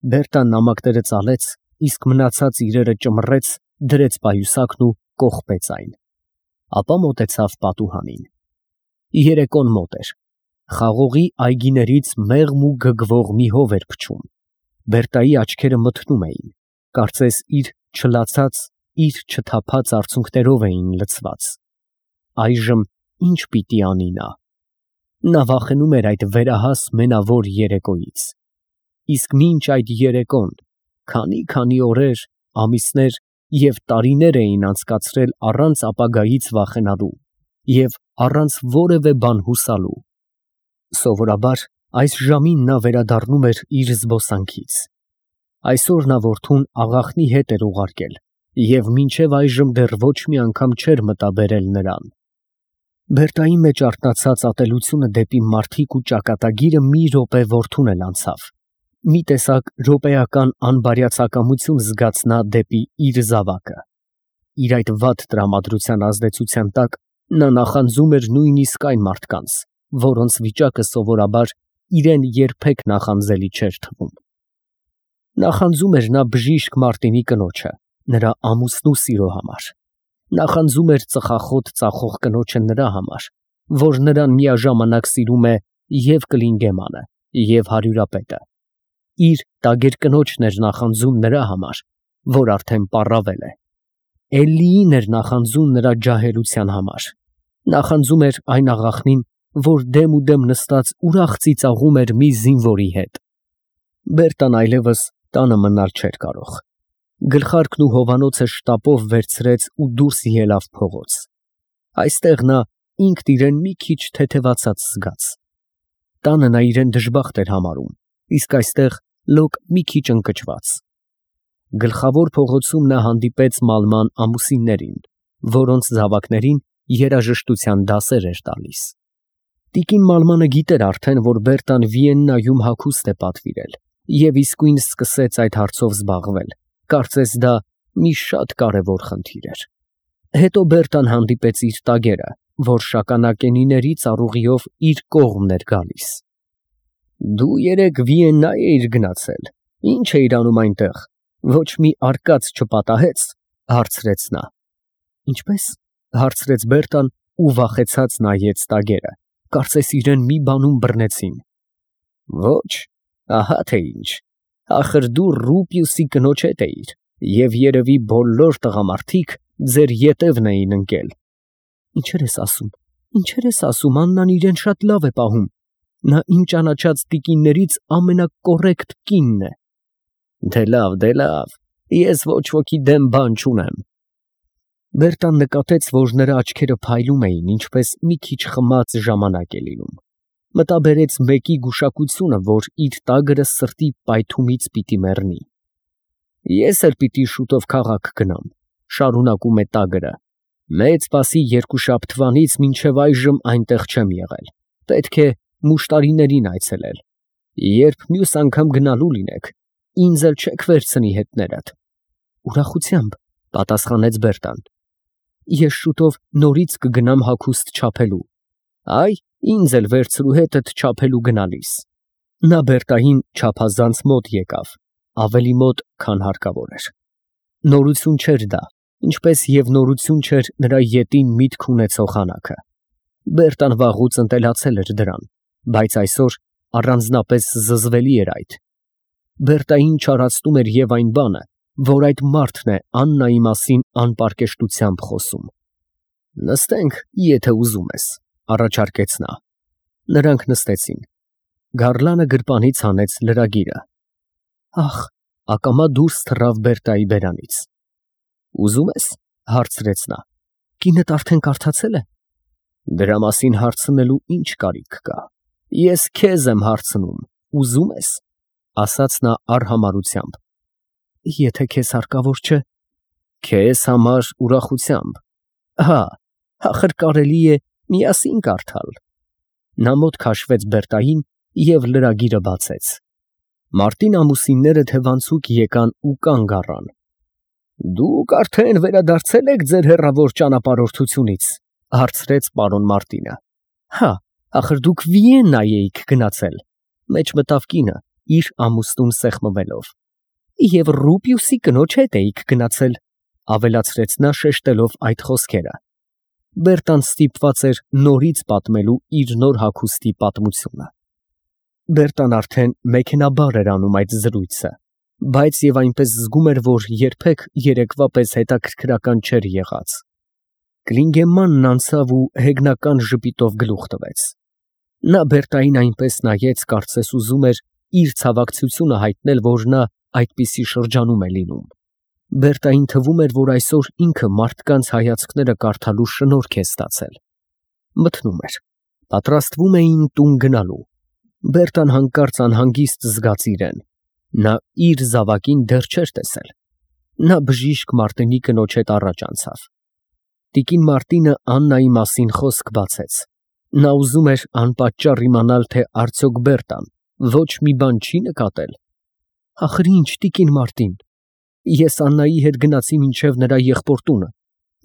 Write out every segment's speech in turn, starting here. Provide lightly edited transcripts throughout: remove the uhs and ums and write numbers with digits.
Բերտան նամակները ծալեց, իսկ մնացած իրերը ճմռեց, դրեց պայուսակն ու կողպեց այն։ Ապա մոտեցավ պատուհանին։ Երեկոն մոտ էր։ Խաղողի այգիներից մեղմ ու գգվող մի հով էր փչում։ Բերտայի աչքերը մթնում էին, կարծես իր չլացած, իր չթափած արցունքներով էին լցված։ Այժմ ինչ պիտի անի նա։ Նա վախենում էր այդ վերահաս մենավոր երեկոյից։ Իսկ մինչ այդ երեկոն քանի օրեր, ամիսներ և տարիներ էին անցկացրել առանց ապագայից վախենալու և առանց որևէ բան հուսալու։ Սովորաբար այս ժամին նա վերադառնում էր իր զբոսանքից։ Այսօր նա որդուն աղախնի հետ էր ուղարկել և մինչև այժմ դեռ ոչ մի անգամ չէր մտաբերել նրան։ Բերտայի մեջ արթնացած ատելությունը դեպի մարդիկ ու ճակատագիրը մի րոպե որդուն էլ անցավ։ Մի տեսակ րոպեական անբարյացակամություն զգաց նա դեպի իր զավակը։ Իր այդ վատ տրամադրության ազդեցության տակ նա նախանձում էր նույնիսկ այն մարդկանց, որոնց վիճակը սովորաբար իրեն երբեք նախանձելի չէր թվում։ Նախանձում էր նա բժիշկ Մարտինի կնոջը, նրա ամուսնու սիրո համար։ Նախանձում էր ծխախոտ ծախող կնոջը նրա համար, որ նրան միաժամանակ սիրում է և Կլինգեմանը, և հարյուրապետը։ Իր տագերկնոջն էր նախանձում նրա համար, որ արդեն պառավել է։ Էլլիին էր նախանձում նրա ջահելության համար։ Նախանձում էր այն աղախնին, որ դեմ ու դեմ նստած ուրախ ծիծաղում էր մի զինվորի հետ։ Բերտան այլևս տանը մնալ չէր կարող։ Գլխարկն ու հովանոցը շտապով վերցրեց ու դուրս ելավ փողոց։ Այստեղ նա ինքն իրեն մի քիչ թեթևացած զգաց։ Տանը նա իրեն դժբախտ էր համարում, իսկ այստեղ լոկ մի քիչ ընկճված։ Գլխավոր փողոցում նա հանդիպեց Մալման ամուսիններին, որոնց զավակներին երաժշտության դասեր էր տալիս։ Տիկին Մալմանը գիտեր արդեն, որ Բերտան Վիեննայում հագուստ է պատվիրել և իսկույն սկսեց այդ հարցով զբաղվել, կարծես դա մի շատ կարևոր խնդիր էր։ Հետո Բերտան հանդիպեց իր տագերը, որ շագանակենիների ծառուղիով իր կողմն էր գալիս։ Դու երեկ Վիեննա էիր գնացել, ի՞նչ էիր անում այնտեղ, ոչ մի արկած չպատահեց, հարցրեց նա։ Ինչպես, հարցրեց Բերտան ու վախեցած նայեց տագերը, կարծես իրեն մի բանում բռնեցին։ Ոչ, ահա թե ինչ, ախր դու Ռուպիուսի կնոջ հետ էիր, և երևի բոլոր տղամարդիկ ձեր ետևն էին ընկել։ Ինչեր ես ասում, Աննան իրեն շատ լավ է պահում, նա իմ ճանաչած տիկիններից ամենակոռեկտ կինն է։ Դե լավ, ես ոչ ոքի դեմ բան չունեմ։ Բերտան նկատեց, որ նրա աչքերը փայլում էին, ինչպես մի քիչ խմած ժամանակ է լինում։ Մտաբերեց մեկի գուշակությունը, որ իր տագրը սրտի պայթումից պիտի մեռնի։ Ես էլ պիտի շուտով քաղաք գնամ, շարունակում է տագրը։ Մեծ Սպասի երկուշաբթվանից մինչև այժմ այնտեղ չեմ եղել։ Պետք է մուշտարիներին այցելել։ Երբ մյուս անգամ գնալու լինեք, ինձ էլ չեք վերցնի հետներդ։ Ուրախությամբ, պատասխանեց Բերտան։ Ես շուտով նորից կգնամ հագուստ չափելու։ Այ, ինձ էլ վերցրու հետդ չափելու գնալիս։ Նա Բերտային չափազանց մոտ եկավ, ավելի մոտ, քան հարկավոր էր։ Նորություն չէր դա, ինչպես և նորություն չէր նրա ետին միտք ունեցող հանակը։ Բերտան վաղուց ընտելացել էր դրան, բայց այսօր առանձնապես զզվելի էր այդ։ Բերտային չարացնում էր և այն բանը, որ այդ մարդն է Աննայի մասին անպարկեշտությամբ խոսում։ Նստենք, եթե ուզում ես, առաջարկեց նա։ Նրանք նստեցին։ Գարլանը գրպանից հանեց լրագիրը։ Ախ, ակամա դուրս թռավ Բերտայի բերանից։ Ուզում ես, հարցրեց նա։ Կինդ արդեն կարդացել է։ Դրա մասին հարցնելու ինչ կարիք կա։ Ես քեզ եմ հարցնում, ուզում ես, ասաց նա արհամարհությամբ։ Եթե քեզ հարկավոր չէ։ Քեզ համար ուրախությամբ։ Հա, ախր կարելի է միասին կարդալ։ Նա մոտ քաշվեց Բերտային և լրագիրը բացեց։ Մարտին ամուսինները թևանցուկ եկան ու կանգ առան։ Դուք արդեն վերադարձել եք ձեր հեռավոր ճանապարհորդությունից, հարցրեց պարոն Մարտինը։ Հա, ախր դուք Վիեննա էիք գնացել, մեջ մտավ կինը, իր ամուսնուն սեղմվելով։ Եվ Ռուպիուսի կնոջ հետ էիք գնացել, ավելացրեց նա շեշտելով այդ խոսքերը։ Բերտան ստիպված էր նորից պատմելու իր նոր հագուստի պատմությունը։ Բերտան արդեն մեքենաբար էր անում այդ զրույցը, բայց եւ այնպես զգում էր, որ երբեք երեկվա պես հետաքրքրական չէր եղած։ Կլինգեմանն անցավ ու հեգնական ժպիտով գլուխ տվեց։ Նա Բերտային այնպես նայեց, կարծես ուզում էր իր ցավակցությունը հայտնել, որ նա այդպիսի շրջանում է լինում։ Բերտային թվում էր, որ այսօր ինքը մարդկանց հայացքները կարդալու շնորհք է ստացել։ Մթնում էր։ Պատրաստվում էին տուն գնալու։ Բերտան հանկարծ անհանգիստ զգաց իրեն։ Նա իր զավակին դեռ չէր տեսել։ Նա բժիշկ Մարտինի կնոջ հետ առաջ անցավ։ Տիկին Մարտինը Աննայի մասին խոսք բացեց։ Նա ուզում էր անպատճառ իմանալ, թե արդյոք Բերտան ոչ մի բան չի նկատել։ Ախր ինչ, տիկին Մարտին, ես Աննայի հետ գնացի մինչև նրա եղբոր տունը,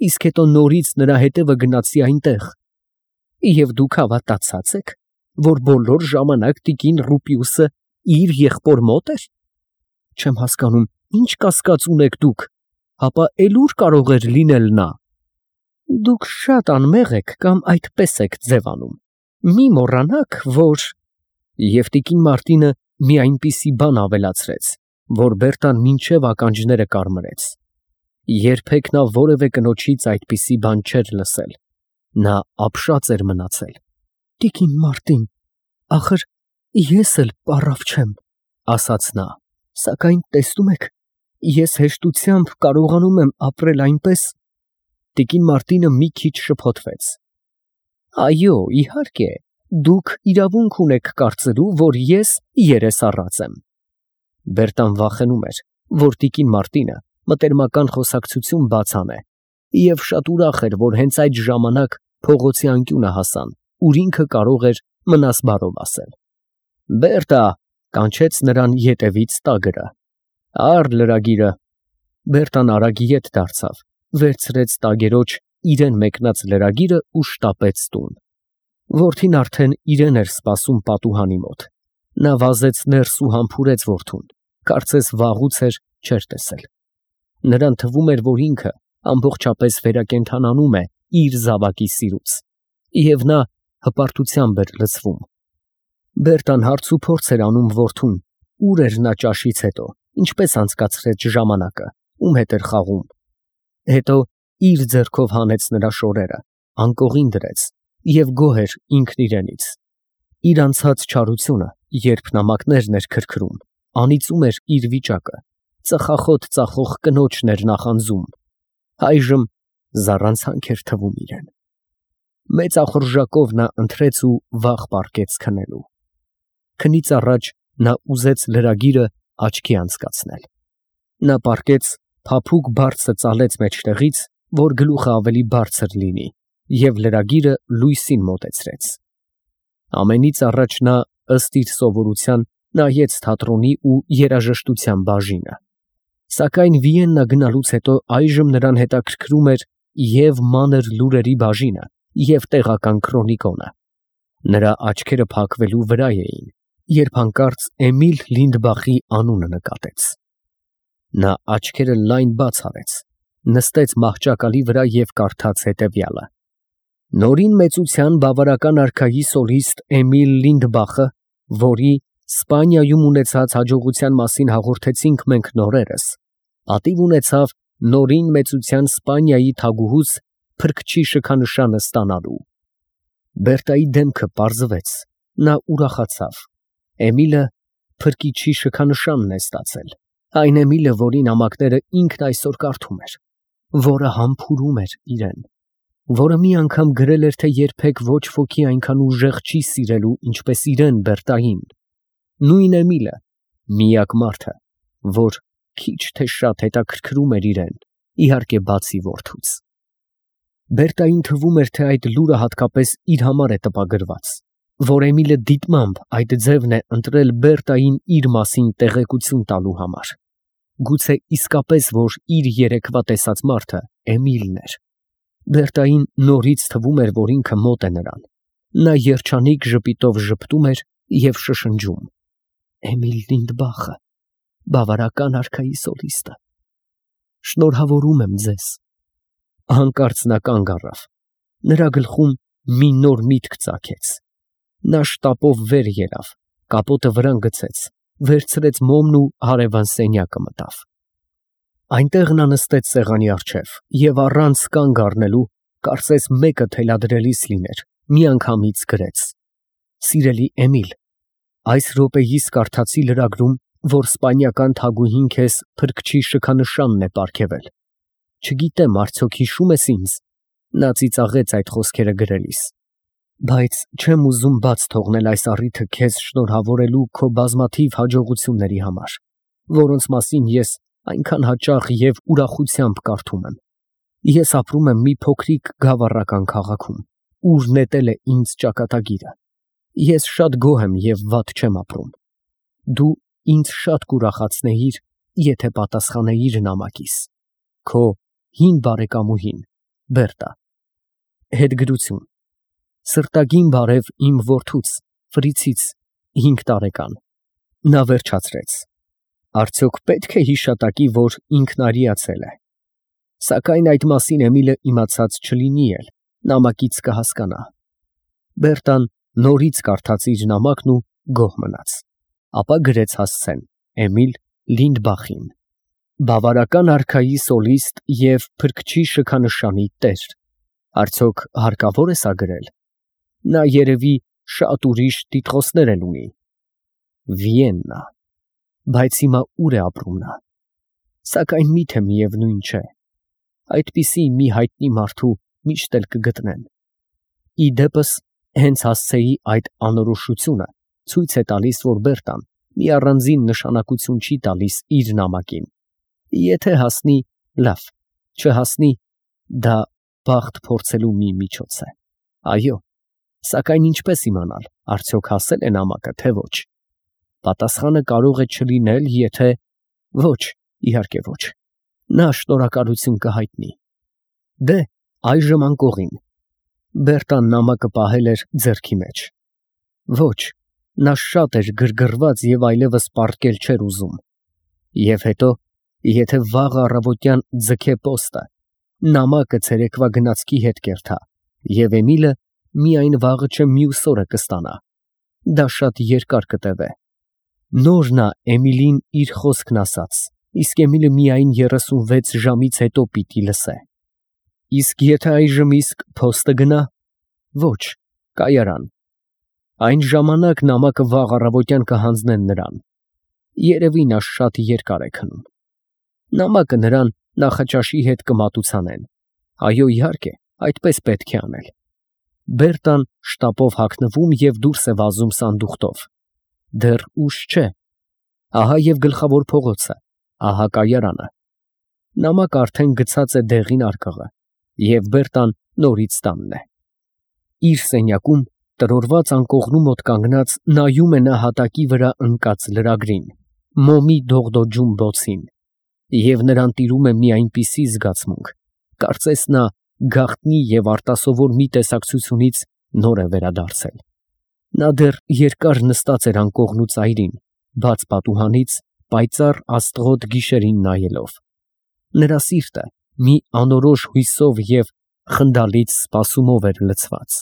իսկ հետո նորից նրա հետևը գնացի այնտեղ։ Եվ դուք հավատացած եք, որ բոլոր ժամանակ տիկին Ռուպիուսը իր եղբոր մոտ էր։ Չեմ հասկանում, ինչ կասկած ունեք դուք, հապա էլ ուր կարող էր լինել նա։ Դուք շատ անմեղ եք կամ այդպես եք ձևանում։ Մի մոռանաք, որ… Եվ տիկին Մարտինը մի այնպիսի բան ավելացրեց, որ Բերտան մինչև ականջները կարմրեց։ Երբեք նա որևէ կնոջից այդպիսի բան չէր լսել։ Նա ապշած էր մնացել։ Տիկին Մարտին, ախր ես էլ պառավ չեմ, ասաց նա, սակայն տեսնում եք, ես հեշտությամբ կարողանում եմ ապրել այնպես… Տիկին Մարտինը մի քիչ շփոթվեց։ Այո, իհարկե, դուք իրավունք ունեք կարծելու, որ ես երես առած եմ։ Բերտան վախենում էր, որ տիկին Մարտինը մտերմական խոսակցություն բաց անե, և շատ ուրախ էր, որ հենց այդ ժամանակ փողոցի անկյունը հասան, ուր ինքը կարող էր մնասբարով ասել։ Բերտա, կանչեց նրան ետևից տագրը։ Առ լրագիրը։ Բերտան արագ ետ դարձավ, վերցրեց տագերոջ իրեն մեկնած լրագիրը ու շտապեց տուն։ Որդին արդեն իրեն էր սպասում պատուհանի մոտ։ Նա վազեց ներս ու համբուրեց որդուն, կարծես վաղուց էր չէր տեսել։ Նրան թվում էր, որ ինքը ամբողջապես վերակենդանանում է իր զավակի սիրուց, և նա հպարտությամբ էր լցվում։ Բերտան հարց ու փորձ էր անում որդուն, ուր էր նա ճաշից հետո, ինչպես անցկացրեց ժամանակը, ում հետ էր խաղում։ Հետո իր ձեռքով հանեց նրա շորերը, անկողին դրեց և գոհ էր ինքն իրենից։ Իր անցած չարությունը, երբ նամակներն էր քրքրում, անիծում էր իր վիճակը, ծխախոտ ծախող կնոջն էր նախանձում։ Այժմ զառանցանք էր թվում իրեն։ Մեծ ախորժակով նա ընթրեց ու վաղ պառկեց քնելու։ Քնից առաջ նա ուզեց լրագիրը աչքի անցկացնել։ Նա պառկեց, փափուկ բարձը ծալեց մեջտեղից, որ գլուխը ավելի բարձր լինի, և լրագիրը լույսին մոտեցրեց։ Ամենից առաջ նա, ըստ իր սովորության, նայեց թատրոնի ու երաժշտության բաժինը։ Սակայն Վիեննա գնալուց հետո այժմ նրան հետաքրքրում էր և մանր լուրերի բաժինը, և տեղական քրոնիկոնը։ Նրա աչքերը փակվելու վրա էին, երբ հանկարծ Էմիլ Լինդբախի անունը նկատեց։ Նա աչքերը լայն բաց արեց, նստեց մահճակալի վրա և կարդաց հետևյալը. Նորին մեծության բավարարական արքայի սոլիստ Էմիլ Լինդբախը, որի Սպանիայում ունեցած հաջողության մասին հաղորդեցինք մենք նորերս, պատիվ ունեցավ նորին մեծության Սպանիայի թագուհուց փրկչի շքանշանը ստանալու։ Բերտայի դեմքը պարզվեց, նա ուրախացավ։ Էմիլը փրկիչի շքանշանն է ստացել, այն Էմիլը, որի նամակները ինքն այսօր կարդում էր, որը համբուրում էր իրեն, որը մի անգամ գրել էր, թե երբեք ոչ ոքի այնքան ուժեղ չի սիրելու, ինչպես իրեն Բերտային, նույն Էմիլը, միակ մարդը, որ քիչ թե շատ հետաքրքրում էր իրեն, իհարկե բացի որդուց։ Բերտային թվում էր, թե այդ լուրը հատկապես իր համար է տպագրված, որ Էմիլը դիտմամբ այդ ձևն է ընտրել Բերտային իր մասին տեղեկություն տալու համար։ Գուցե իսկապես, որ իր երեկվա տեսած մարդը Էմիլն էր։ Բերտային նորից թվում էր, որ ինքը մոտ է նրան։ Նա երջանիկ ժպիտով ժպտում էր և շշնջում։ Էմիլ Լինդբախը, բավարական արքայի սոլիստը, շնորհավորում եմ ձեզ։ Հանկարծ նա կանգ առավ, նրա գլխում մի նոր միտք ծագեց։ Նա շտապով վեր ելավ, կապոտը վրան գցեց, վերցրեց մոմն ու հարևան սենյակը մտավ։ Այնտեղ նա նստեց սեղանի առջև և առանց կանգ առնելու, կարծես մեկը թելադրելիս լիներ, միանգամից գրեց. Սիրելի Էմիլ, այս րոպեիս կարդացի լրագրում, որ սպանիական թագուհին քեզ փրկչի շքանշանն է պարգևել։ Չգիտեմ, արդյոք հիշում ես ինձ։ Նա ծիծաղեց այդ խոսքերը գրելիս։ Բայց չեմ ուզում բաց թողնել այս առիթը քեզ շնորհավորելու քո բազմաթիվ հաջողությունների համար, որոնց մասին ես այնքան հաճախ և ուրախությամբ կարդում եմ։ Ես ապրում եմ մի փոքրիկ գավառական քաղաքում, ուր նետել է ինձ ճակատագիրը։ Ես շատ գոհ եմ և վատ չեմ ապրում։ Դու ինձ շատ կուրախացնեիր, եթե պատասխանեիր նամակիս։ Քո հին բարեկամուհին, Բերտա։ Հետգրություն։ Սրտագին բարև իմ որդուց, Ֆրիցից, 5 տարեկան։ Նա վերջացրեց. Արդյոք պետք է հիշատակի, որ ինքն արիացել է։ Սակայն այդ մասին Էմիլը իմացած չլինի էլ, նամակից կհասկանա։ Բերտան նորից կարդաց իր նամակն ու գոհ մնաց։ Ապա գրեց հասցեն. Էմիլ Լինդբախին, բավարական արքայի սոլիստ և փրկչի շքանշանի տեր։ Արդյոք հարկավոր է սա գրել։ Նա երևի շատ ուրիշ տիտղոսներ էլ ունի։ Վիեննա։ Բայց հիմա ուր է ապրում նա։ Սակայն միթե միևնույն չէ։ Այդպիսի մի հայտնի մարդու միշտ էլ կգտնեն։ Ի դեպս, հենց հասցեի այդ անորոշությունը ցույց է տալիս, որ Բերտան մի առանձին նշանակություն չի տալիս իր նամակին։ Եթե հասնի, լավ, չհասնի, դա բախտ փորձելու մի միջոց է։ Այո, սակայն ինչպես իմանալ, արդյոք հասել է նամակը, թե ոչ։ Պատասխանը կարող է չլինել, եթե… Ոչ, իհարկե ոչ։ Նա շնորհակալություն կհայտնի։ Դե, այժմ անկողին։ Բերտան նամակը պահել էր ձեռքի մեջ։ Ոչ, նա շատ էր գրգռված և այլևս պառկել չէր ուզում։ Եվ հետո, եթե վաղ առավոտյան ձգե պոստը, նամակը ցերեկվա գնացքի հետ կերթա, և Էմիլը միայն վաղը չէ մյուս օրը կստանա։ Դա շատ երկար կտևե։ Նոր նա Էմիլին իր խոսքն ասաց, իսկ Էմիլը միայն 36 ժամից հետո պիտի լսե։ Իսկ եթե այժմ իսկ փոստը գնա, ոչ, կայարան։ Այն ժամանակ նամակը վաղ առավոտյան կհանձնեն նրան։ Երևի նա շատ երկար է քնում։ Նամակը նրան նախաճաշի հետ կմատուցանեն։ Այո, իհարկե, այդպես պետք է անել։ Բերտան շտապով հագնվում և դուրս է վազում սանդուղքով։ Դեռ ուշ չէ։ Ահա և գլխավոր փողոցը, ահա կայարանը։ Նամակը արդեն գցած է դեղին արկղը, և Բերտան նորից տանն է։ Իր սենյակում տրորված անկողնու մոտ կանգնած նայում է նա հատակի վրա ընկած լրագրին, մոմի դողդոջուն բոցին, և նրան տիրում է մի այնպիսի զգացմունք, կարծես նա գաղտնի և արտասովոր մի տեսակցությունից նոր է վերադարձել։ Նա դեռ երկար նստած էր անկողնու ծայրին, բաց պատուհանից, պայծառ աստղոտ գիշերին նայելով։ Նրա սիրտը մի անորոշ հույսով և խնդալից սպասումով էր լցված։